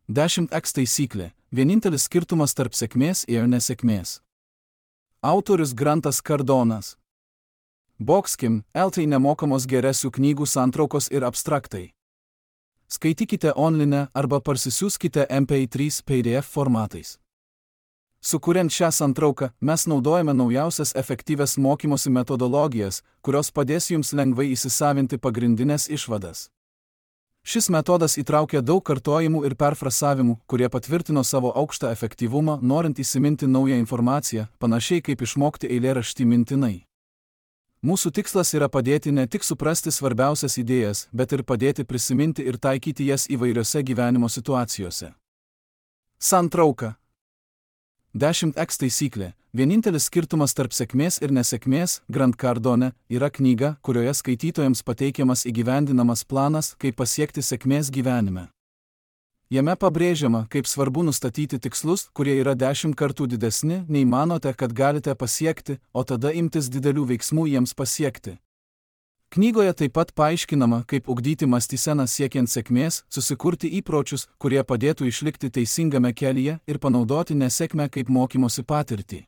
10x taisyklė – vienintelis skirtumas tarp sėkmės ir nesėkmės. Autorius Grantas Cardonas. Boxkim, LT nemokamos geresių knygų santraukos ir abstraktai. Skaitykite online arba parsisiųskite MP3 PDF formatais. Sukuriant šią santrauką, mes naudojame naujausias efektyvias mokymosi metodologijas, kurios padės jums lengvai įsisavinti pagrindinės išvadas. Šis metodas įtraukia daug kartojimų ir perfrasavimų, kurie patvirtino savo aukštą efektyvumą, norint įsiminti naują informaciją, panašiai kaip išmokti eilėraštį mintinai. Mūsų tikslas yra padėti ne tik suprasti svarbiausias idėjas, bet ir padėti prisiminti ir taikyti jas įvairiose gyvenimo situacijose. Santrauka. 10x taisyklė – vienintelis skirtumas tarp sėkmės ir nesėkmės, Grant Cardone, yra knyga, kurioje skaitytojams pateikiamas įgyvendinamas planas, kaip pasiekti sėkmės gyvenime. Jame pabrėžiama, kaip svarbu nustatyti tikslus, kurie yra 10 kartų didesni, nei manote, kad galite pasiekti, o tada imtis didelių veiksmų jiems pasiekti. Knygoje taip pat paaiškinama, kaip ugdyti mąstyseną siekiant sėkmės, susikurti įpročius, kurie padėtų išlikti teisingame kelyje ir panaudoti nesėkmę kaip mokymosi patirtį.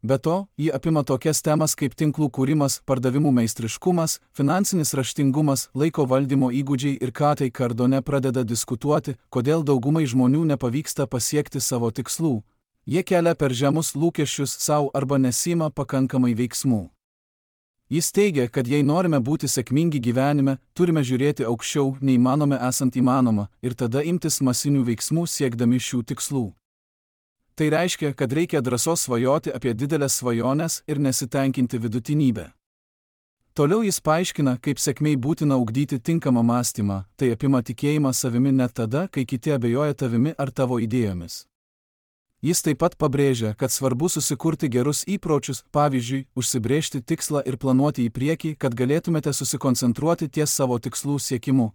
Be to, ji apima tokias temas kaip tinklų kūrimas, pardavimų meistriškumas, finansinis raštingumas, laiko valdymo įgūdžiai ir ką tai Cardone pradeda diskutuoti, kodėl daugumai žmonių nepavyksta pasiekti savo tikslų. Jie kelia per žemus lūkesčius sau arba nesima pakankamai veiksmų. Jis teigia, kad jei norime būti sėkmingi gyvenime, turime žiūrėti aukščiau, nei manome esant įmanoma, ir tada imtis masinių veiksmų siekdami šių tikslų. Tai reiškia, kad reikia drąsos svajoti apie didelės svajones ir nesitenkinti vidutinybę. Toliau jis paaiškina, kaip sėkmei būtina ugdyti tinkamą mąstymą, tai apima tikėjimą savimi net tada, kai kiti abejoja tavimi ar tavo idėjomis. Jis taip pat pabrėžia, kad svarbu susikurti gerus įpročius, pavyzdžiui, užsibrėžti tikslą ir planuoti į priekį, kad galėtumėte susikoncentruoti ties savo tikslų siekimu.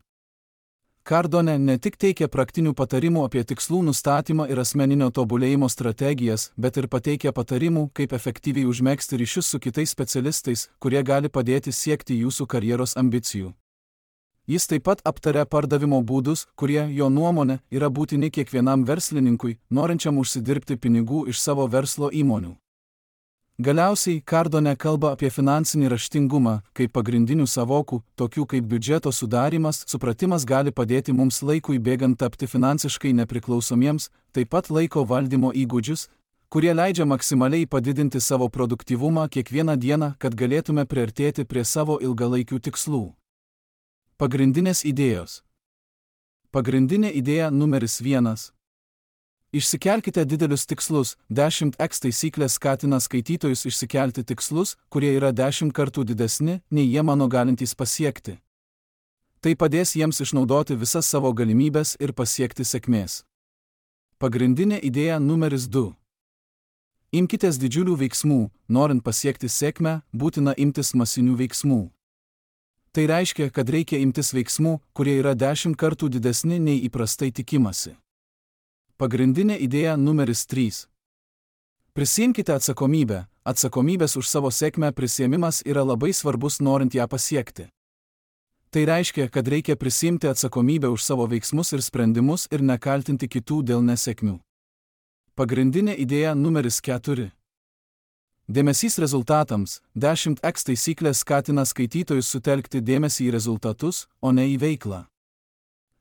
Cardone ne tik teikia praktinių patarimų apie tikslų nustatymą ir asmeninio tobulėjimo strategijas, bet ir pateikia patarimų, kaip efektyviai užmegzti ryšius su kitais specialistais, kurie gali padėti siekti jūsų karjeros ambicijų. Jis taip pat aptaria pardavimo būdus, kurie, jo nuomone, yra būtini kiekvienam verslininkui, norinčiam užsidirbti pinigų iš savo verslo įmonių. Galiausiai, Cardone kalba apie finansinį raštingumą, kaip pagrindinių savokų, tokių kaip biudžeto sudarymas, supratimas gali padėti mums laikui bėgant tapti finansiškai nepriklausomiems, taip pat laiko valdymo įgūdžius, kurie leidžia maksimaliai padidinti savo produktyvumą kiekvieną dieną, kad galėtume priartėti prie savo ilgalaikių tikslų. Pagrindinės idėjos. Pagrindinė idėja numeris 1. Išsikelkite didelius tikslus. 10x taisyklė skatina skaitytojus išsikelti tikslus, kurie yra 10 kartų didesni, nei jie mano galintys pasiekti. Tai padės jiems išnaudoti visas savo galimybes ir pasiekti sėkmės. Pagrindinė idėja numeris 2. Imkitės didžiulių veiksmų. Norint pasiekti sėkmę, būtina imtis masinių veiksmų. Tai reiškia, kad reikia imtis veiksmų, kurie yra 10 kartų didesni nei įprastai tikimasi. Pagrindinė idėja numeris 3. Prisiimkite atsakomybę. Atsakomybės už savo sėkmę prisiėmimas yra labai svarbus norint ją pasiekti. Tai reiškia, kad reikia prisiimti atsakomybę už savo veiksmus ir sprendimus ir nekaltinti kitų dėl nesėkmių. Pagrindinė idėja numeris 4. Dėmesys rezultatams. 10x taisyklė skatina skaitytojus sutelkti dėmesį į rezultatus, o ne į veiklą.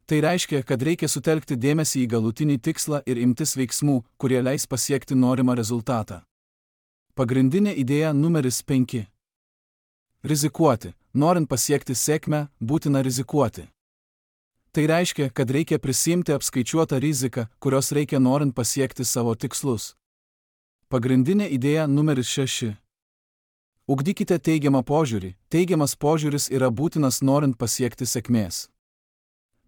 Tai reiškia, kad reikia sutelkti dėmesį į galutinį tikslą ir imtis veiksmų, kurie leis pasiekti norimą rezultatą. Pagrindinė idėja numeris 5. Rizikuoti. Norint pasiekti sėkmę, būtina rizikuoti. Tai reiškia, kad reikia prisiimti apskaičiuotą riziką, kurios reikia norint pasiekti savo tikslus. Pagrindinė idėja numeris 6. Ugdykite teigiamą požiūrį. Teigiamas požiūris yra būtinas norint pasiekti sėkmės.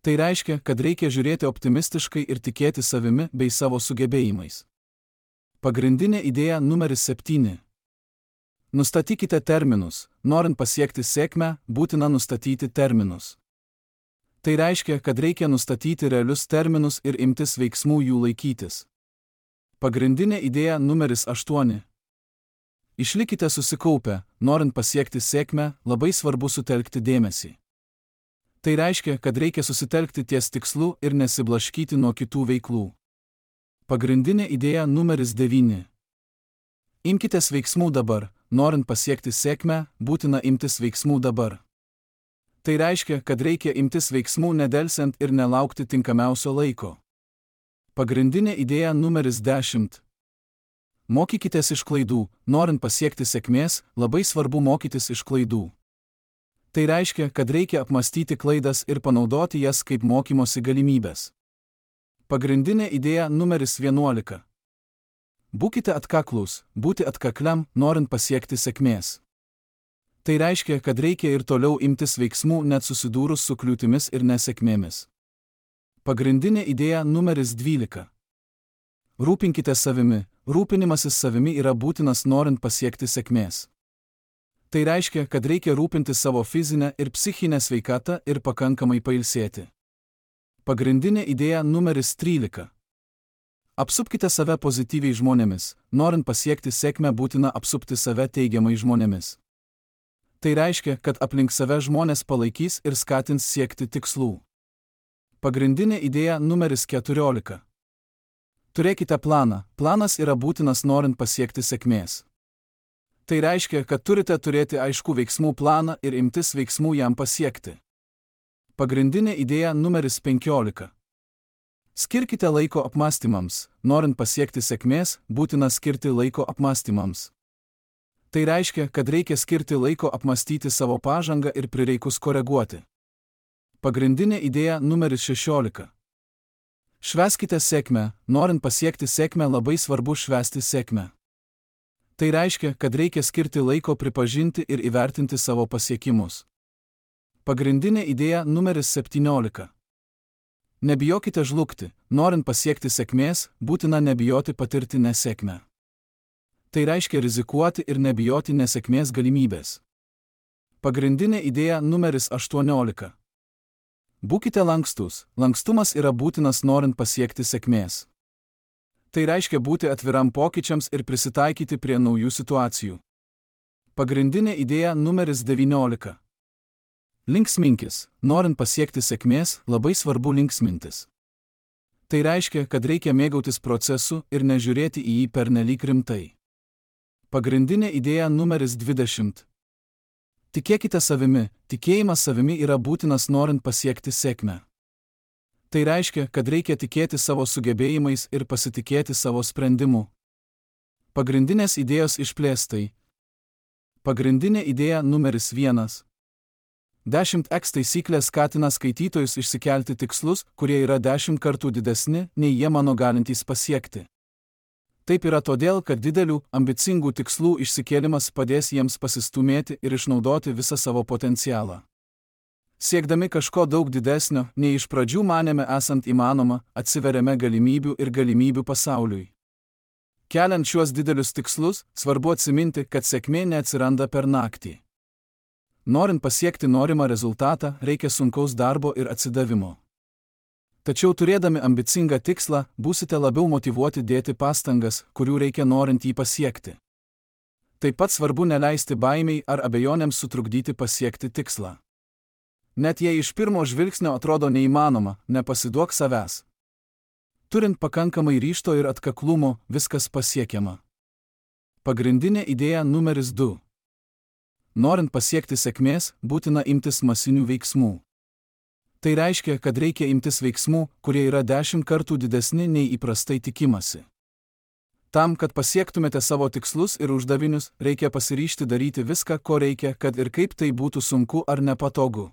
Tai reiškia, kad reikia žiūrėti optimistiškai ir tikėti savimi bei savo sugebėjimais. Pagrindinė idėja numeris 7. Nustatykite terminus. Norint pasiekti sėkmę, būtina nustatyti terminus. Tai reiškia, kad reikia nustatyti realius terminus ir imtis veiksmų jų laikytis. Pagrindinė idėja numeris 8. Išlikite susikaupę. Norint pasiekti sėkmę, labai svarbu sutelkti dėmesį. Tai reiškia, kad reikia susitelkti ties tikslu ir nesiblaškyti nuo kitų veiklų. Pagrindinė idėja numeris 9. Imkitės veiksmų dabar. Norint pasiekti sėkmę, būtina imtis veiksmų dabar. Tai reiškia, kad reikia imtis veiksmų nedelsiant ir nelaukti tinkamiausio laiko. Pagrindinė idėja numeris 10. Mokykitės iš klaidų. Norint pasiekti sėkmės, labai svarbu mokytis iš klaidų. Tai reiškia, kad reikia apmastyti klaidas ir panaudoti jas kaip mokymosi galimybės. Pagrindinė idėja numeris 11. Būkite atkaklūs. Būti atkakliam, norint pasiekti sėkmės. Tai reiškia, kad reikia ir toliau imtis veiksmų net susidūrus su kliūtimis ir nesėkmėmis. Pagrindinė idėja numeris 12. Rūpinkite savimi. Rūpinimasis savimi yra būtinas norint pasiekti sėkmės. Tai reiškia, kad reikia rūpinti savo fizinę ir psichinę sveikatą ir pakankamai pailsėti. Pagrindinė idėja numeris 13. Apsupkite save pozityviai žmonėmis. Norint pasiekti sėkmę, būtina apsupti save teigiamai žmonėmis. Tai reiškia, kad aplink save žmonės palaikys ir skatins siekti tikslų. Pagrindinė idėja numeris 14. Turėkite planą. Planas yra būtinas norint pasiekti sėkmės. Tai reiškia, kad turite turėti aiškų veiksmų planą ir imtis veiksmų jam pasiekti. Pagrindinė idėja numeris 15. Skirkite laiko apmąstymams. Norint pasiekti sėkmės, būtina skirti laiko apmąstymams. Tai reiškia, kad reikia skirti laiko apmąstyti savo pažangą ir prireikus koreguoti. Pagrindinė idėja numeris 16. Švęskite sėkmę. Norint pasiekti sėkmę, labai svarbu švęsti sėkmę. Tai reiškia, kad reikia skirti laiko pripažinti ir įvertinti savo pasiekimus. Pagrindinė idėja numeris 17. Nebijokite žlugti. Norint pasiekti sėkmės, būtina nebijoti patirti nesėkmę. Tai reiškia rizikuoti ir nebijoti nesėkmės galimybės. Pagrindinė idėja numeris 18. Būkite lankstus. Lankstumas yra būtinas norint pasiekti sėkmės. Tai reiškia būti atviram pokyčiams ir prisitaikyti prie naujų situacijų. Pagrindinė idėja numeris 19. Linksminkis. Norint pasiekti sėkmės, labai svarbu linksmintis. Tai reiškia, kad reikia mėgautis procesu ir nežiūrėti į jį pernelyg rimtai. Pagrindinė idėja numeris 20. Tikėkite savimi. Tikėjimas savimi yra būtinas norint pasiekti sėkmę. Tai reiškia, kad reikia tikėti savo sugebėjimais ir pasitikėti savo sprendimu. Pagrindinės idėjos išplėstai. Pagrindinė idėja numeris 1. 10x taisyklė skatina skaitytojus išsikelti tikslus, kurie yra 10 kartų didesni, nei jie mano galintys pasiekti. Taip yra todėl, kad didelių, ambicingų tikslų išsikėlimas padės jiems pasistumėti ir išnaudoti visą savo potencialą. Siekdami kažko daug didesnio, nei iš pradžių manėme esant įmanoma, atsiveriame galimybių ir galimybių pasauliui. Keliant šiuos didelius tikslus, svarbu atsiminti, kad sėkmė neatsiranda per naktį. Norint pasiekti norimą rezultatą, reikia sunkaus darbo ir atsidavimo. Tačiau turėdami ambicingą tikslą, būsite labiau motyvuoti dėti pastangas, kurių reikia norint jį pasiekti. Taip pat svarbu neleisti baimei ar abejonėms sutrukdyti pasiekti tikslą. Net jei iš pirmo žvilgsnio atrodo neįmanoma, nepasiduok savęs. Turint pakankamai ryžto ir atkaklumo, viskas pasiekiama. Pagrindinė idėja numeris 2. Norint pasiekti sėkmės, būtina imtis masinių veiksmų. Tai reiškia, kad reikia imtis veiksmų, kurie yra 10 kartų didesni nei įprastai tikimasi. Tam, kad pasiektumėte savo tikslus ir uždavinius, reikia pasiryžti daryti viską, ko reikia, kad ir kaip tai būtų sunku ar nepatogu.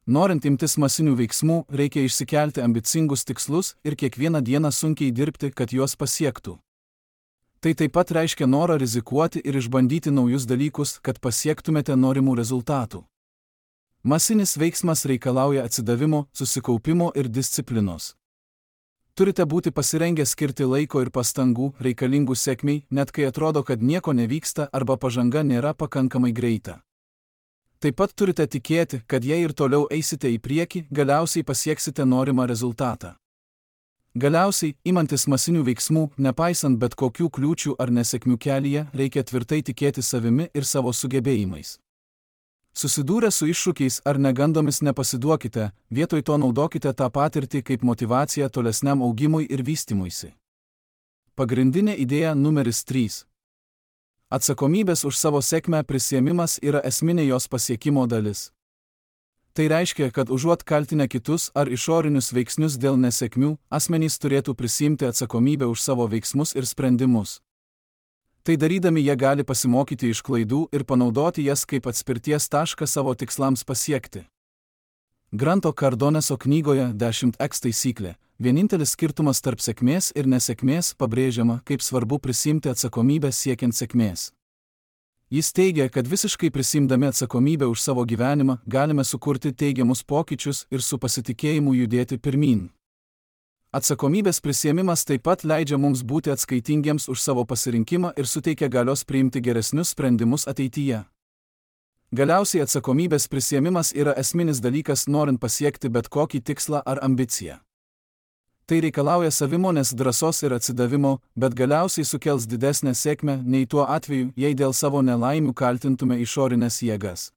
Norint imtis masinių veiksmų, reikia išsikelti ambicingus tikslus ir kiekvieną dieną sunkiai dirbti, kad juos pasiektų. Tai taip pat reiškia norą rizikuoti ir išbandyti naujus dalykus, kad pasiektumėte norimų rezultatų. Masinis veiksmas reikalauja atsidavimo, susikaupimo ir disciplinos. Turite būti pasirengę skirti laiko ir pastangų reikalingų sėkmei, net kai atrodo, kad nieko nevyksta arba pažanga nėra pakankamai greita. Taip pat turite tikėti, kad jei ir toliau eisite į priekį, galiausiai pasieksite norimą rezultatą. Galiausiai, imantis masinių veiksmų, nepaisant bet kokių kliūčių ar nesėkmių kelyje, reikia tvirtai tikėti savimi ir savo sugebėjimais. Susidūrę su iššūkiais ar negandomis nepasiduokite, vietoj to naudokite tą patirtį kaip motyvaciją tolesniam augimui ir vystymuisi. Pagrindinė idėja numeris 3. Atsakomybės už savo sėkmę prisiėmimas yra esminė jos pasiekimo dalis. Tai reiškia, kad užuot kaltinę kitus ar išorinius veiksnius dėl nesėkmių, asmenys turėtų prisiimti atsakomybę už savo veiksmus ir sprendimus. Tai darydami jie gali pasimokyti iš klaidų ir panaudoti jas kaip atspirties tašką savo tikslams pasiekti. Granto Cardoneso knygoje 10x taisyklė. Vienintelis skirtumas tarp sėkmės ir nesėkmės pabrėžiama, kaip svarbu prisiimti atsakomybę siekiant sėkmės. Jis teigia, kad visiškai prisimdami atsakomybę už savo gyvenimą galime sukurti teigiamus pokyčius ir su pasitikėjimu judėti pirmyn. Atsakomybės prisiėmimas taip pat leidžia mums būti atskaitingiems už savo pasirinkimą ir suteikia galios priimti geresnius sprendimus ateityje. Galiausiai atsakomybės prisiėmimas yra esminis dalykas norint pasiekti bet kokį tikslą ar ambiciją. Tai reikalauja savimonės, drąsos ir atsidavimo, bet galiausiai sukels didesnę sėkmę nei tuo atveju, jei dėl savo nelaimių kaltintume išorinės jėgas.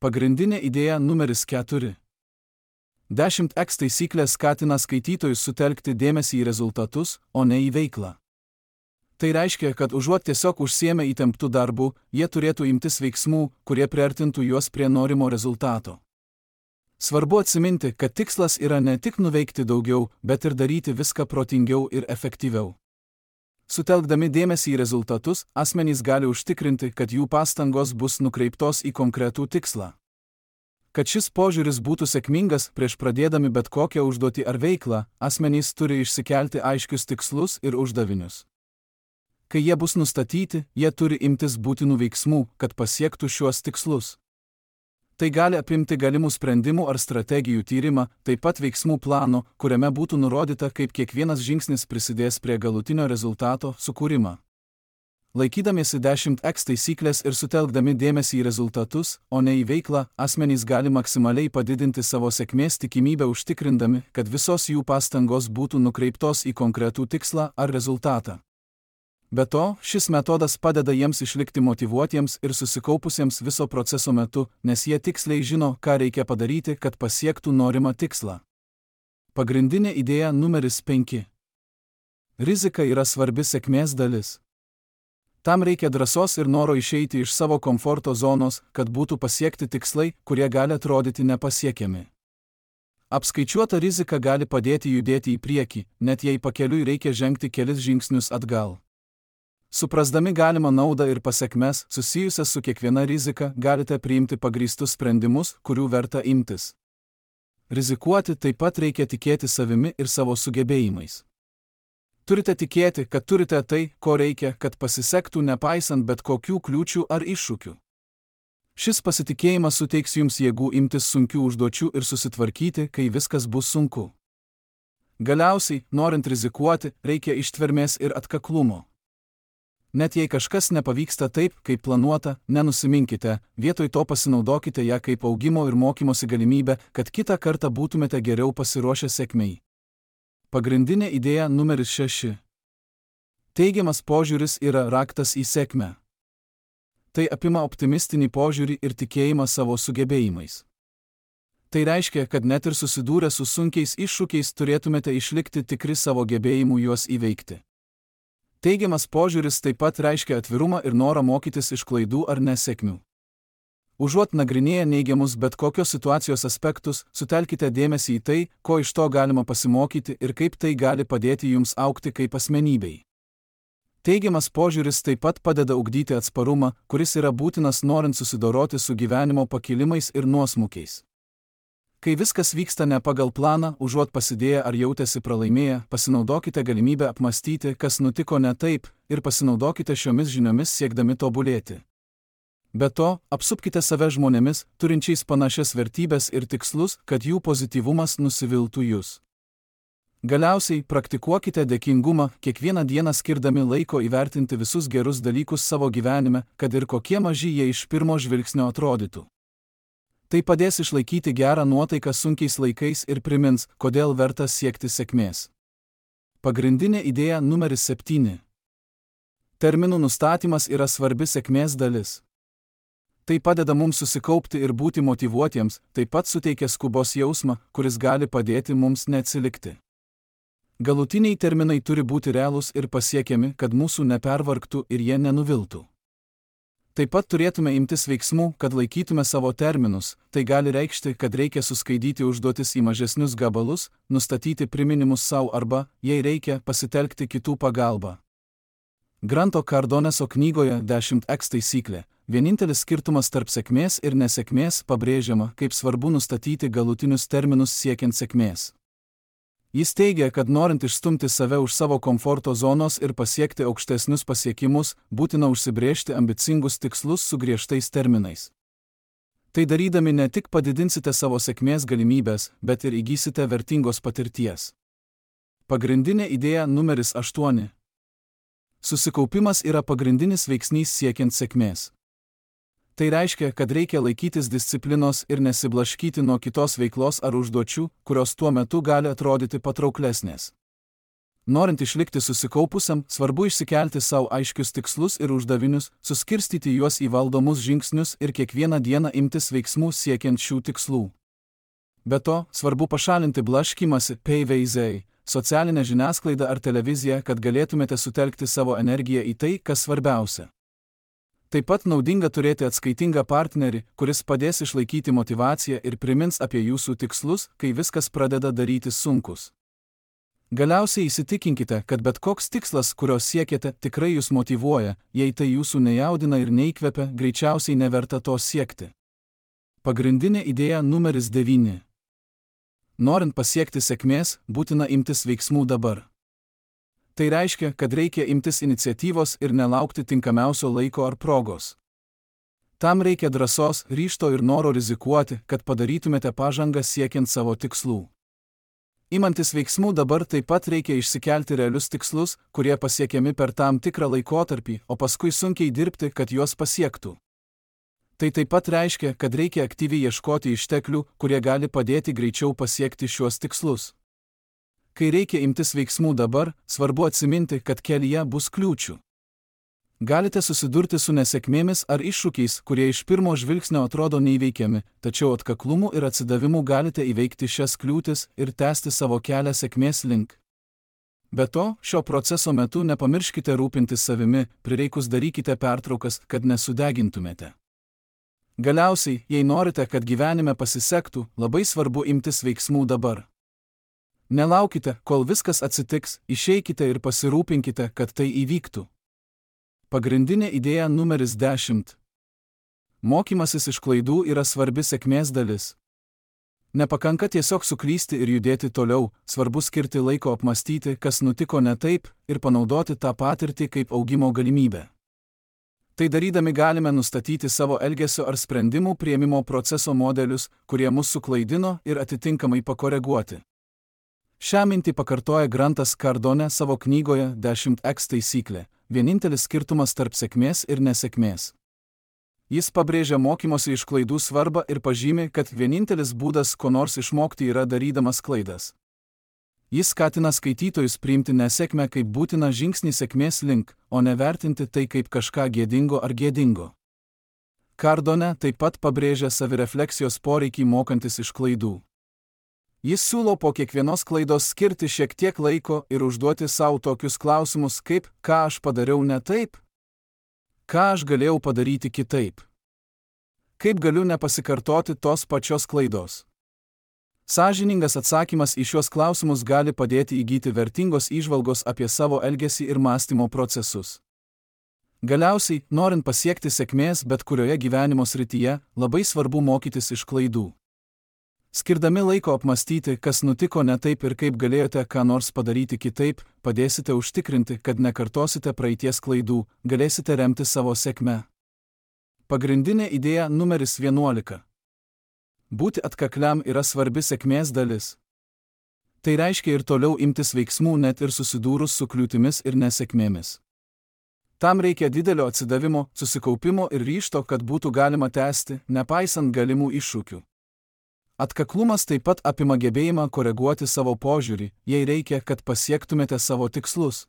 Pagrindinė idėja numeris 4. 10x taisyklė skatina skaitytojus sutelkti dėmesį į rezultatus, o ne į veiklą. Tai reiškia, kad užuot tiesiog užsiėmę įtemptų darbų, jie turėtų imtis veiksmų, kurie priartintų juos prie norimo rezultato. Svarbu atsiminti, kad tikslas yra ne tik nuveikti daugiau, bet ir daryti viską protingiau ir efektyviau. Sutelkdami dėmesį į rezultatus, asmenys gali užtikrinti, kad jų pastangos bus nukreiptos į konkretų tikslą. Kad šis požiūris būtų sėkmingas, prieš pradėdami bet kokią užduotį ar veiklą, asmenys turi išsikelti aiškius tikslus ir uždavinius. Kai jie bus nustatyti, jie turi imtis būtinų veiksmų, kad pasiektų šiuos tikslus. Tai gali apimti galimų sprendimų ar strategijų tyrimą, taip pat veiksmų plano, kuriame būtų nurodyta, kaip kiekvienas žingsnis prisidės prie galutinio rezultato sukūrimą. Laikydamiesi 10x taisyklės ir sutelkdami dėmesį į rezultatus, o ne į veiklą, asmenys gali maksimaliai padidinti savo sėkmės tikimybę užtikrindami, kad visos jų pastangos būtų nukreiptos į konkretų tikslą ar rezultatą. Be to, šis metodas padeda jiems išlikti motyvuotiems ir susikaupusiems viso proceso metu, nes jie tiksliai žino, ką reikia padaryti, kad pasiektų norimą tikslą. Pagrindinė idėja numeris 5. Rizika yra svarbi sėkmės dalis. Tam reikia drąsos ir noro išeiti iš savo komforto zonos, kad būtų pasiekti tikslai, kurie gali atrodyti nepasiekiami. Apskaičiuota rizika gali padėti judėti į priekį, net jei pakeliui reikia žengti kelis žingsnius atgal. Suprasdami galimą naudą ir pasekmes, susijusias su kiekviena rizika, galite priimti pagrįstus sprendimus, kurių verta imtis. Rizikuoti taip pat reikia tikėti savimi ir savo sugebėjimais. Turite tikėti, kad turite tai, ko reikia, kad pasisektų nepaisant bet kokių kliūčių ar iššūkių. Šis pasitikėjimas suteiks jums jėgų imtis sunkių užduočių ir susitvarkyti, kai viskas bus sunku. Galiausiai, norint rizikuoti, reikia ištvermės ir atkaklumo. Net jei kažkas nepavyksta taip, kaip planuota, nenusiminkite, vietoj to pasinaudokite ją kaip augimo ir mokymosi galimybę, kad kitą kartą būtumėte geriau pasiruošę sėkmei. Pagrindinė idėja numeris 6. Teigiamas požiūris yra raktas į sėkmę. Tai apima optimistinį požiūrį ir tikėjimą savo sugebėjimais. Tai reiškia, kad net ir susidūrę su sunkiais iššūkiais turėtumėte išlikti tikri savo gebėjimų juos įveikti. Teigiamas požiūris taip pat reiškia atvirumą ir norą mokytis iš klaidų ar nesėkmių. Užuot nagrinėję neigiamus bet kokios situacijos aspektus, sutelkite dėmesį į tai, ko iš to galima pasimokyti ir kaip tai gali padėti jums augti kaip asmenybei. Teigiamas požiūris taip pat padeda ugdyti atsparumą, kuris yra būtinas norint susidoroti su gyvenimo pakilimais ir nuosmukiais. Kai viskas vyksta ne pagal planą, užuot pasidėję ar jautėsi pralaimėję, pasinaudokite galimybę apmastyti, kas nutiko ne taip, ir pasinaudokite šiomis žiniomis siekdami tobulėti. Be to, apsupkite save žmonėmis, turinčiais panašias vertybės ir tikslus, kad jų pozityvumas nusiviltų jūs. Galiausiai, praktikuokite dėkingumą, kiekvieną dieną skirdami laiko įvertinti visus gerus dalykus savo gyvenime, kad ir kokie maži jie iš pirmo žvilgsnio atrodytų. Tai padės išlaikyti gerą nuotaiką sunkiais laikais ir primins, kodėl verta siekti sėkmės. Pagrindinė idėja numeris 7. Terminų nustatymas yra svarbi sėkmės dalis. Tai padeda mums susikaupti ir būti motyvuotiems, taip pat suteikia skubos jausmą, kuris gali padėti mums neatsilikti. Galutiniai terminai turi būti realūs ir pasiekiami, kad mūsų nepervargtų ir jie nenuviltų. Taip pat turėtume imtis veiksmų, kad laikytume savo terminus, tai gali reikšti, kad reikia suskaidyti užduotis į mažesnius gabalus, nustatyti priminimus savo arba, jei reikia, pasitelkti kitų pagalbą. Granto Cardoneso knygoje 10x taisyklė. Vienintelis skirtumas tarp sėkmės ir nesėkmės pabrėžiama, kaip svarbu nustatyti galutinius terminus siekiant sėkmės. Jis teigia, kad norint išstumti save už savo komforto zonos ir pasiekti aukštesnius pasiekimus, būtina užsibrėžti ambicingus tikslus su griežtais terminais. Tai darydami ne tik padidinsite savo sėkmės galimybės, bet ir įgysite vertingos patirties. Pagrindinė idėja numeris 8. Susikaupimas yra pagrindinis veiksnys siekiant sėkmės. Tai reiškia, kad reikia laikytis disciplinos ir nesiblaškyti nuo kitos veiklos ar užduočių, kurios tuo metu gali atrodyti patrauklesnės. Norint išlikti susikaupusiam, svarbu išsikelti savo aiškius tikslus ir uždavinius, suskirstyti juos į valdomus žingsnius ir kiekvieną dieną imtis veiksmų siekiant šių tikslų. Be to, svarbu pašalinti blaškymąsi, PVZ, socialinę žiniasklaidą ar televiziją, kad galėtumėte sutelkti savo energiją į tai, kas svarbiausia. Taip pat naudinga turėti atskaitingą partnerį, kuris padės išlaikyti motyvaciją ir primins apie jūsų tikslus, kai viskas pradeda darytis sunkus. Galiausiai įsitikinkite, kad bet koks tikslas, kurio siekiate, tikrai jūs motyvuoja, jei tai jūsų nejaudina ir neįkvepia, greičiausiai neverta to siekti. Pagrindinė idėja numeris 9. Norint pasiekti sėkmės, būtina imtis veiksmų dabar. Tai reiškia, kad reikia imtis iniciatyvos ir nelaukti tinkamiausio laiko ar progos. Tam reikia drąsos, ryžto ir noro rizikuoti, kad padarytumėte pažangą siekiant savo tikslų. Imantis veiksmų dabar taip pat reikia išsikelti realius tikslus, kurie pasiekiami per tam tikrą laikotarpį, o paskui sunkiai dirbti, kad juos pasiektų. Tai taip pat reiškia, kad reikia aktyviai ieškoti išteklių, kurie gali padėti greičiau pasiekti šiuos tikslus. Kai reikia imtis veiksmų dabar, svarbu atsiminti, kad kelyje bus kliūčių. Galite susidurti su nesėkmėmis ar iššūkiais, kurie iš pirmo žvilgsnio atrodo neįveikiami, tačiau atkaklumu ir atsidavimu galite įveikti šias kliūtis ir tęsti savo kelią sėkmės link. Be to, šio proceso metu nepamirškite rūpintis savimi, prireikus darykite pertraukas, kad nesudegintumėte. Galiausiai, jei norite, kad gyvenime pasisektų, labai svarbu imtis veiksmų dabar. Nelaukite, kol viskas atsitiks, išeikite ir pasirūpinkite, kad tai įvyktų. Pagrindinė idėja numeris 10. Mokymasis iš klaidų yra svarbi sėkmės dalis. Nepakanka tiesiog suklysti ir judėti toliau, svarbu skirti laiko apmastyti, kas nutiko ne taip, ir panaudoti tą patirtį kaip augimo galimybę. Tai darydami galime nustatyti savo elgesio ar sprendimų priėmimo proceso modelius, kurie mus suklaidino, ir atitinkamai pakoreguoti. Šią mintį pakartoja Grantas Cardone savo knygoje 10x taisyklė. Vienintelis skirtumas tarp sėkmės ir nesėkmės. Jis pabrėžia mokymosi iš klaidų svarbą ir pažymi, kad vienintelis būdas ko nors išmokti yra darydamas klaidas. Jis skatina skaitytojus priimti nesėkmę kaip būtiną žingsnį sėkmės link, o nevertinti tai kaip kažką gėdingo ar gėdingo. Cardone taip pat pabrėžia savirefleksijos poreikį mokantis iš klaidų. Jis siūlo po kiekvienos klaidos skirti šiek tiek laiko ir užduoti savo tokius klausimus kaip, ką aš padariau ne taip? Ką aš galėjau padaryti kitaip? Kaip galiu nepasikartoti tos pačios klaidos? Sąžiningas atsakymas į šios klausimus gali padėti įgyti vertingos įžvalgos apie savo elgesį ir mąstymo procesus. Galiausiai, norint pasiekti sėkmės bet kurioje gyvenimo srityje, labai svarbu mokytis iš klaidų. Skirdami laiko apmastyti, kas nutiko ne taip ir kaip galėjote ką nors padaryti kitaip, padėsite užtikrinti, kad nekartosite praeities klaidų, galėsite remti savo sėkmę. Pagrindinė idėja numeris 11. Būti atkakliam yra svarbi sėkmės dalis. Tai reiškia ir toliau imtis veiksmų net ir susidūrus su kliūtimis ir nesėkmėmis. Tam reikia didelio atsidavimo, susikaupimo ir ryžto, kad būtų galima tęsti, nepaisant galimų iššūkių. Atkaklumas taip pat apima gebėjimą koreguoti savo požiūrį, jei reikia, kad pasiektumėte savo tikslus.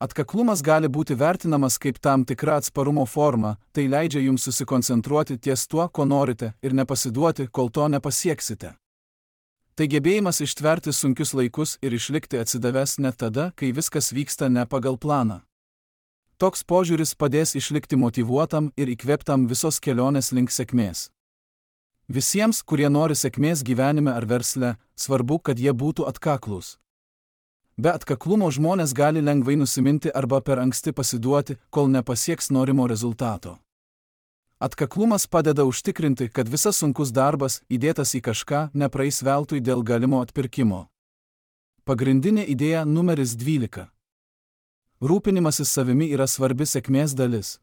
Atkaklumas gali būti vertinamas kaip tam tikra atsparumo forma, tai leidžia jums susikoncentruoti ties tuo, ko norite, ir nepasiduoti, kol to nepasieksite. Tai gebėjimas ištverti sunkius laikus ir išlikti atsidavęs net tada, kai viskas vyksta ne pagal planą. Toks požiūris padės išlikti motyvuotam ir įkvėptam visos kelionės link sėkmės. Visiems, kurie nori sėkmės gyvenime ar versle, svarbu, kad jie būtų atkaklūs. Be atkaklumo žmonės gali lengvai nusiminti arba per anksti pasiduoti, kol nepasieks norimo rezultato. Atkaklumas padeda užtikrinti, kad visas sunkus darbas, įdėtas į kažką, nepraeis veltui dėl galimo atpirkimo. Pagrindinė idėja numeris 12. Rūpinimasis savimi yra svarbi sėkmės dalis.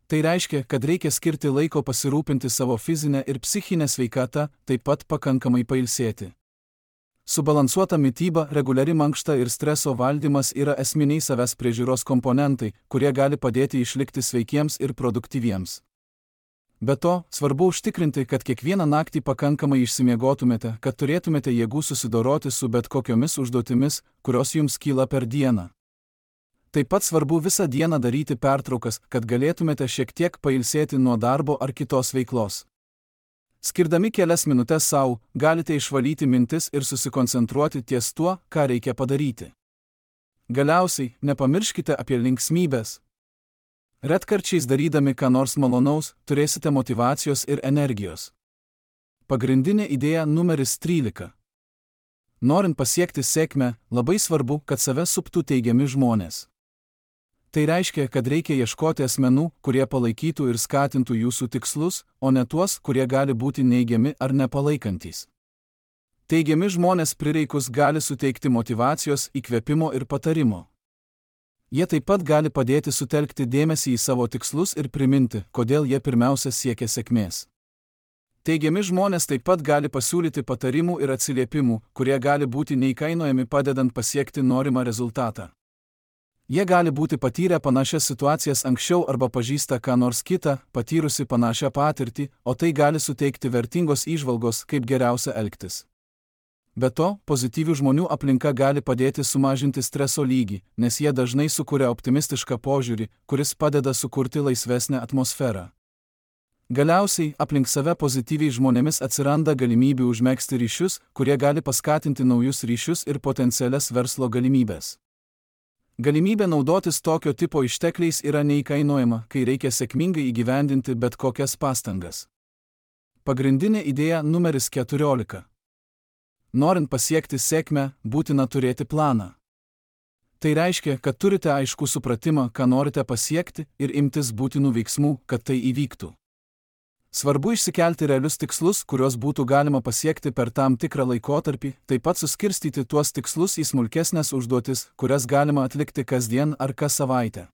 Tai reiškia, kad reikia skirti laiko pasirūpinti savo fizinę ir psichinę sveikatą, taip pat pakankamai pailsėti. Subalansuota mityba, reguliari mankšta ir streso valdymas yra esminiai savęs priežiūros komponentai, kurie gali padėti išlikti sveikiems ir produktyviems. Be to, svarbu užtikrinti, kad kiekvieną naktį pakankamai išsimiegotumėte, kad turėtumėte jėgų susidoroti su bet kokiomis užduotimis, kurios jums kyla per dieną. Taip pat svarbu visą dieną daryti pertraukas, kad galėtumėte šiek tiek pailsėti nuo darbo ar kitos veiklos. Skirdami kelias minutes savo, galite išvalyti mintis ir susikoncentruoti ties tuo, ką reikia padaryti. Galiausiai, nepamirškite apie linksmybės. Retkarčiais darydami ką nors malonaus, turėsite motyvacijos ir energijos. Pagrindinė idėja numeris 13. Norint pasiekti sėkmę, labai svarbu, kad save suptų teigiami žmonės. Tai reiškia, kad reikia ieškoti asmenų, kurie palaikytų ir skatintų jūsų tikslus, o ne tuos, kurie gali būti neigiami ar nepalaikantys. Teigiami žmonės prireikus gali suteikti motyvacijos, įkvėpimo ir patarimo. Jie taip pat gali padėti sutelkti dėmesį į savo tikslus ir priminti, kodėl jie pirmiausia siekia sėkmės. Teigiami žmonės taip pat gali pasiūlyti patarimų ir atsiliepimų, kurie gali būti neįkainojami padedant pasiekti norimą rezultatą. Jie gali būti patyrę panašias situacijas anksčiau arba pažįsta ką nors kitą, patyrusi panašią patirtį, o tai gali suteikti vertingos įžvalgos, kaip geriausia elgtis. Be to, pozityvių žmonių aplinka gali padėti sumažinti streso lygį, nes jie dažnai sukuria optimistišką požiūrį, kuris padeda sukurti laisvesnę atmosferą. Galiausiai, aplink save pozityviai žmonėmis atsiranda galimybių užmegzti ryšius, kurie gali paskatinti naujus ryšius ir potencialias verslo galimybės. Galimybė naudotis tokio tipo ištekliais yra neįkainojama, kai reikia sėkmingai įgyvendinti bet kokias pastangas. Pagrindinė idėja numeris 14. Norint pasiekti sėkmę, būtina turėti planą. Tai reiškia, kad turite aiškų supratimą, ką norite pasiekti ir imtis būtinų veiksmų, kad tai įvyktų. Svarbu išsikelti realius tikslus, kuriuos būtų galima pasiekti per tam tikrą laikotarpį, taip pat suskirstyti tuos tikslus į smulkesnės užduotis, kurias galima atlikti kasdien ar kas savaitę.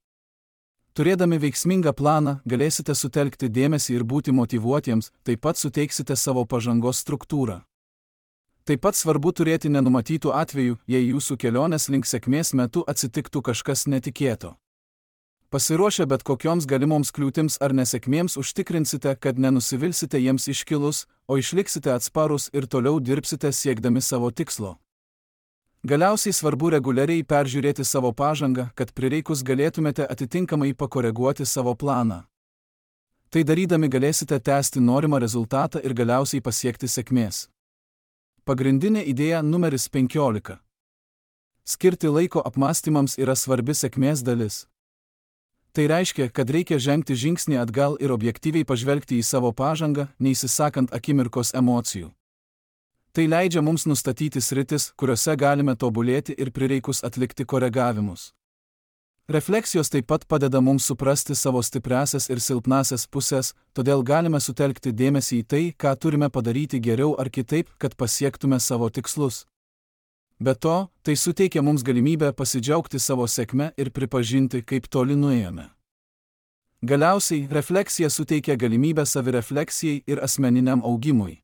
Turėdami veiksmingą planą, galėsite sutelkti dėmesį ir būti motyvuotiems, taip pat suteiksite savo pažangos struktūrą. Taip pat svarbu turėti nenumatytų atvejų, jei jūsų kelionės link sėkmės metu atsitiktų kažkas netikėto. Pasiruošę bet kokioms galimoms kliūtims ar nesėkmėms užtikrinsite, kad nenusivilsite jiems iškilus, o išliksite atsparūs ir toliau dirbsite siekdami savo tikslo. Galiausiai svarbu reguliariai peržiūrėti savo pažangą, kad prireikus galėtumėte atitinkamai pakoreguoti savo planą. Tai darydami galėsite tęsti norimą rezultatą ir galiausiai pasiekti sėkmės. Pagrindinė idėja numeris 15. Skirti laiko apmąstymams yra svarbi sėkmės dalis. Tai reiškia, kad reikia žengti žingsnį atgal ir objektyviai pažvelgti į savo pažangą, neįsisakant akimirkos emocijų. Tai leidžia mums nustatyti sritis, kuriuose galime tobulėti ir prireikus atlikti koregavimus. Refleksijos taip pat padeda mums suprasti savo stipriąsias ir silpnąsias pusės, todėl galime sutelkti dėmesį į tai, ką turime padaryti geriau ar kitaip, kad pasiektume savo tikslus. Be to, tai suteikia mums galimybę pasidžiaugti savo sėkme ir pripažinti, kaip toli nuėjome. Galiausiai, refleksija suteikia galimybę savirefleksijai ir asmeniniam augimui.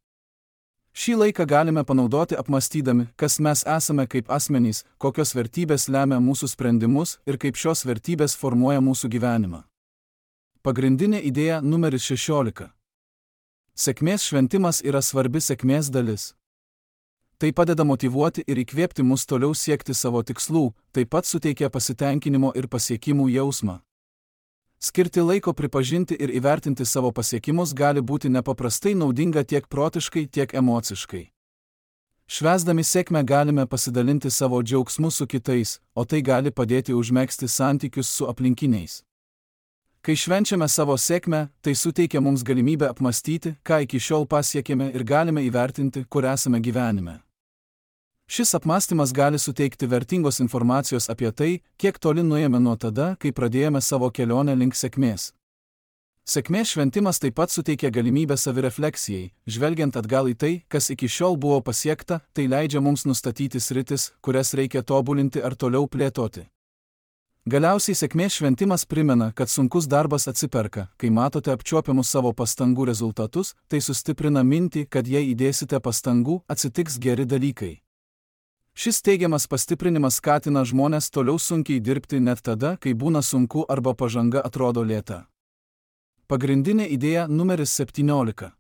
Šį laiką galime panaudoti apmąstydami, kas mes esame kaip asmenys, kokios vertybės lemia mūsų sprendimus ir kaip šios vertybės formuoja mūsų gyvenimą. Pagrindinė idėja numeris 16. Sėkmės šventimas yra svarbi sėkmės dalis. Tai padeda motyvuoti ir įkvėpti mus toliau siekti savo tikslų, taip pat suteikia pasitenkinimo ir pasiekimų jausmą. Skirti laiko pripažinti ir įvertinti savo pasiekimus gali būti nepaprastai naudinga tiek protiškai, tiek emociškai. Švęsdami sėkmę galime pasidalinti savo džiaugsmu su kitais, o tai gali padėti užmegzti santykius su aplinkiniais. Kai švenčiame savo sėkmę, tai suteikia mums galimybę apmąstyti, ką iki šiol pasiekėme ir galime įvertinti, kur esame gyvenime. Šis apmąstymas gali suteikti vertingos informacijos apie tai, kiek toli nuėjome nuo tada, kai pradėjome savo kelionę link sėkmės. Sėkmės šventimas taip pat suteikia galimybę savirefleksijai, žvelgiant atgal į tai, kas iki šiol buvo pasiekta, tai leidžia mums nustatyti sritis, kurias reikia tobulinti ar toliau plėtoti. Galiausiai sėkmės šventimas primena, kad sunkus darbas atsiperka, kai matote apčiuopiamus savo pastangų rezultatus, tai sustiprina mintį, kad jei įdėsite pastangų, atsitiks geri dalykai. Šis teigiamas pastiprinimas skatina žmones toliau sunkiai dirbti net tada, kai būna sunku arba pažanga atrodo lėta. Pagrindinė idėja numeris 17.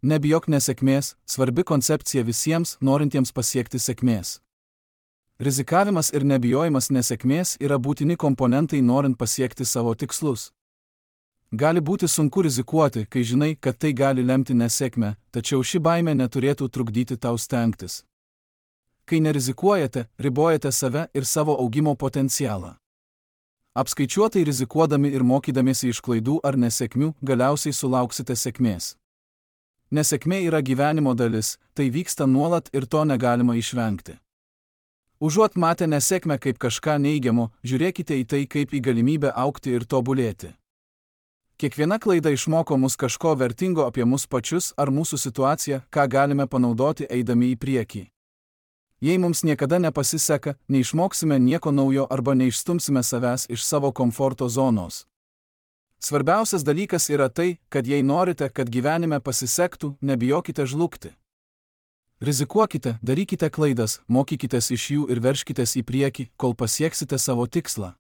Nebijok nesėkmės, svarbi koncepcija visiems, norintiems pasiekti sėkmės. Rizikavimas ir nebijojimas nesėkmės yra būtini komponentai norint pasiekti savo tikslus. Gali būti sunku rizikuoti, kai žinai, kad tai gali lemti nesėkmę, tačiau ši baimė neturėtų trukdyti tau stengtis. Kai nerizikuojate, ribojate save ir savo augimo potencialą. Apskaičiuotai rizikuodami ir mokydamiesi iš klaidų ar nesėkmių, galiausiai sulauksite sėkmės. Nesėkmė yra gyvenimo dalis, tai vyksta nuolat ir to negalima išvengti. Užuot matę nesėkmę kaip kažką neigiamo, žiūrėkite į tai kaip į galimybę augti ir tobulėti. Kiekviena klaida išmoko mus kažko vertingo apie mus pačius ar mūsų situaciją, ką galime panaudoti eidami į priekį. Jei mums niekada nepasiseka, neišmoksime nieko naujo arba neišstumsime savęs iš savo komforto zonos. Svarbiausias dalykas yra tai, kad jei norite, kad gyvenime pasisektų, nebijokite žlugti. Rizikuokite, darykite klaidas, mokykitės iš jų ir veržkitės į priekį, kol pasieksite savo tikslą.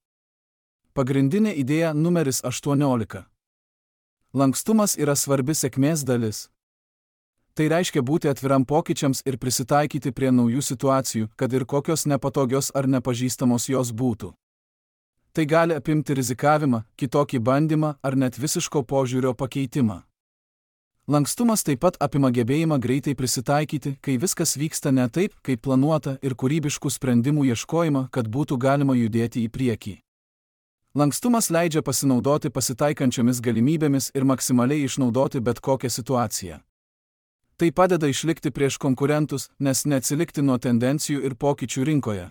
Pagrindinė idėja numeris 18. Lankstumas yra svarbi sėkmės dalis. Tai reiškia būti atviram pokyčiams ir prisitaikyti prie naujų situacijų, kad ir kokios nepatogios ar nepažįstamos jos būtų. Tai gali apimti rizikavimą, kitokį bandymą ar net visiško požiūrio pakeitimą. Lankstumas taip pat apima gebėjimą greitai prisitaikyti, kai viskas vyksta ne taip, kaip planuota, ir kūrybiškų sprendimų ieškojimą, kad būtų galima judėti į priekį. Lankstumas leidžia pasinaudoti pasitaikančiomis galimybėmis ir maksimaliai išnaudoti bet kokią situaciją. Tai padeda išlikti prieš konkurentus, nes neatsilikti nuo tendencijų ir pokyčių rinkoje.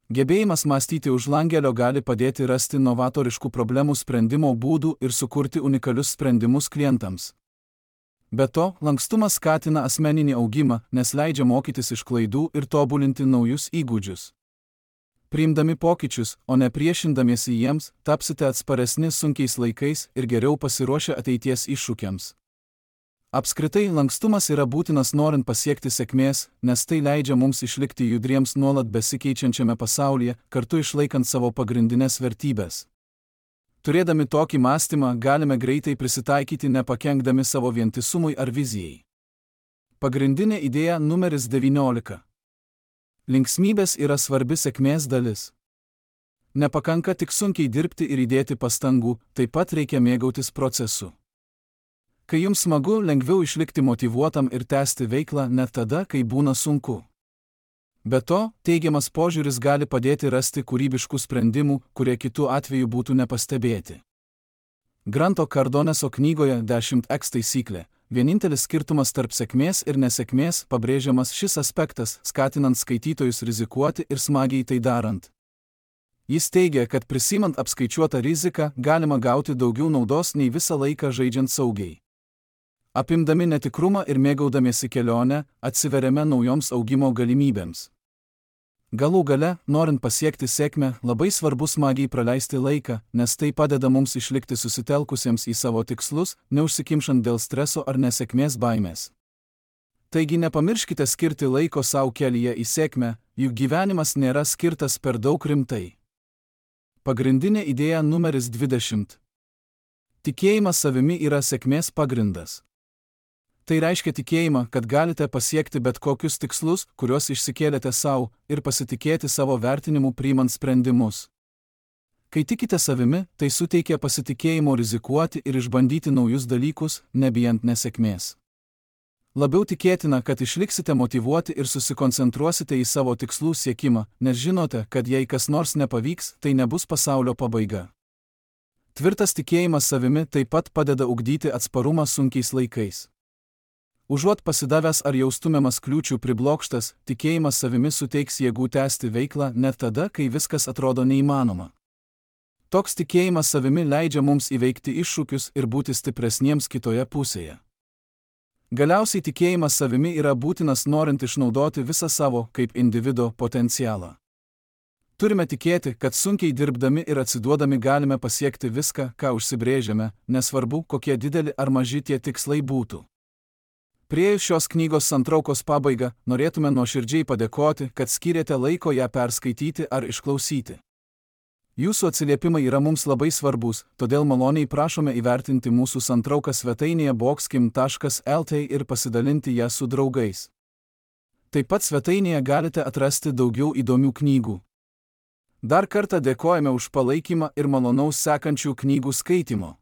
Gebėjimas mąstyti už langelio gali padėti rasti novatoriškų problemų sprendimo būdų ir sukurti unikalius sprendimus klientams. Be to, lankstumas skatina asmeninį augimą, nes leidžia mokytis iš klaidų ir tobulinti naujus įgūdžius. Priimdami pokyčius, o ne priešindamiesi jiems, tapsite atsparesni sunkiais laikais ir geriau pasiruošę ateities iššūkiams. Apskritai, lankstumas yra būtinas norint pasiekti sėkmės, nes tai leidžia mums išlikti judriems nuolat besikeičiančiame pasaulyje, kartu išlaikant savo pagrindinės vertybės. Turėdami tokį mąstymą, galime greitai prisitaikyti nepakenkdami savo vientisumui ar vizijai. Pagrindinė idėja numeris 19. Linksmybės yra svarbi sėkmės dalis. Nepakanka tik sunkiai dirbti ir įdėti pastangų, taip pat reikia mėgautis procesu. Kai jums smagu, lengviau išlikti motyvuotam ir tęsti veiklą net tada, kai būna sunku. Be to, teigiamas požiūris gali padėti rasti kūrybiškų sprendimų, kurie kitų atveju būtų nepastebėti. Granto Cardoneso knygoje 10x taisyklė. Vienintelis skirtumas tarp sėkmės ir nesėkmės pabrėžiamas šis aspektas, skatinant skaitytojus rizikuoti ir smagiai tai darant. Jis teigia, kad prisimant apskaičiuotą riziką, galima gauti daugiau naudos nei visą laiką žaidžiant saugiai. Apimdami netikrumą ir mėgaudamiesi kelionę, atsiveriame naujoms augimo galimybėms. Galų gale, norint pasiekti sėkmę, labai svarbu smagiai praleisti laiką, nes tai padeda mums išlikti susitelkusiems į savo tikslus, neužsikimšant dėl streso ar nesėkmės baimės. Taigi nepamirškite skirti laiko savo kelyje į sėkmę, juk gyvenimas nėra skirtas per daug rimtai. Pagrindinė idėja numeris 20. Tikėjimas savimi yra sėkmės pagrindas. Tai reiškia tikėjimą, kad galite pasiekti bet kokius tikslus, kuriuos išsikėlėte savo, ir pasitikėti savo vertinimu priimant sprendimus. Kai tikite savimi, tai suteikia pasitikėjimo rizikuoti ir išbandyti naujus dalykus, nebijant nesėkmės. Labiau tikėtina, kad išliksite motyvuoti ir susikoncentruosite į savo tikslų siekimą, nes žinote, kad jei kas nors nepavyks, tai nebus pasaulio pabaiga. Tvirtas tikėjimas savimi taip pat padeda ugdyti atsparumą sunkiais laikais. Užuot pasidavęs ar jaustumiamas kliūčių priblokštas, tikėjimas savimi suteiks jėgų tęsti veiklą net tada, kai viskas atrodo neįmanoma. Toks tikėjimas savimi leidžia mums įveikti iššūkius ir būti stipresniems kitoje pusėje. Galiausiai tikėjimas savimi yra būtinas norint išnaudoti visą savo, kaip individo, potencialą. Turime tikėti, kad sunkiai dirbdami ir atsiduodami galime pasiekti viską, ką užsibrėžėme, nesvarbu, kokie dideli ar maži tie tikslai būtų. Priėjus šios knygos santraukos pabaigą, norėtume nuoširdžiai padėkoti, kad skyrėte laiko ją perskaityti ar išklausyti. Jūsų atsiliepimai yra mums labai svarbus, todėl maloniai prašome įvertinti mūsų santrauką svetainėje boxkim.lt ir pasidalinti ją su draugais. Taip pat svetainėje galite atrasti daugiau įdomių knygų. Dar kartą dėkojame už palaikymą ir malonaus sekančių knygų skaitimo.